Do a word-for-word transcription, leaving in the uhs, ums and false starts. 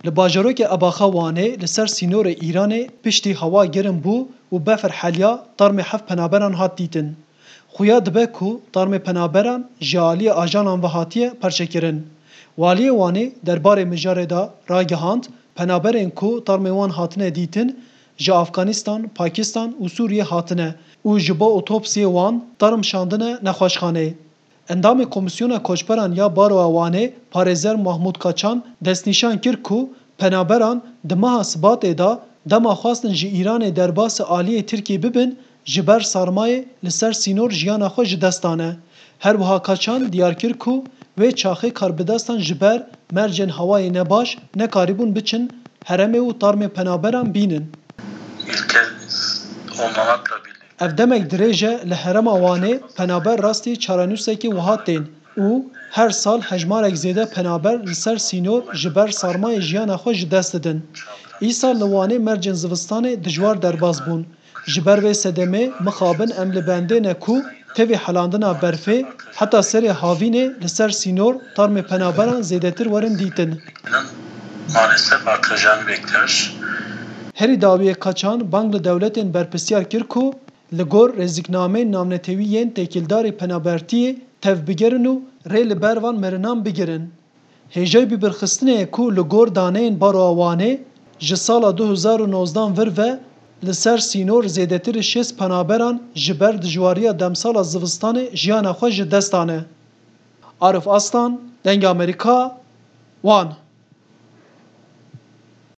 Li bajarokê Ebaxa Wanê li ser sînorê Îranê piştî hewa germ bû û befir heliya, tarmê heft penaberan hat dîtin. Xuya dibe ku tarmê penaberan ji aliyê ajanan ve hatiye perçekirin. Waliyê Wanê derbarê mijarê de ragihand, penaberên ku tarmê wan hatine dîtin, ji Afganistan, Pakistan û Sûriyê hatine û ji bo otopsiyê wan tarm şandine nexweşxaneyê. Endamê Komîsyona Koçberan ya Baroya Wanê, parêzer Mahmûd Kaçan, destnîşan kir ku penaberan di meha Sibatê de dema xwestin ji Îranê derbasî aliyê Tirkiyê bibin, ji ber sarmayê li ser sînor jiyana xwe ji dest dane. Her wiha Kaçan diyar kir ku wê çaxê karbidestan ji ber mercên hewayê nebaş nekarîbûn biçin herêmê û tarmê penaberan bînin. Ülke olmamakla birlikte Ev demek dirêj e li herêma Wanê penaber rastî çarenûsekê wiha tên û her sal hejmarek zêde penaber li ser sînor ji ber sarmayê jiyana xwe ji dest didin. Îsal li Wanê mercên zivistanê dijwar derbas bûn. Ji ber vê sedemê mixabin em li bendê ne ku tevî helandina berfê heta serê havînê li ser sînor tarmê penaberan zêdetir werin dîtin. Maalesef artacağını bekliyoruz. Herî dawiyê Kaçan bang li dewletên berpirsiyar kir ku li gor rêziknameyên navnetewî yên têkildarî penabertiyê tevbigerin û rê li ber van mirinan bigirin. Hêjayî bibirxistinê ye ku li gor daneyên Baroya Wanê ji sala du hezar û nozdan vir ve li ser sînor zêdetirî şêst penaberan ji ber dijwariya demsala zivistanê jiyana xwe ji dest dane. Arif Aslan, Dengê Amerîka, Wan.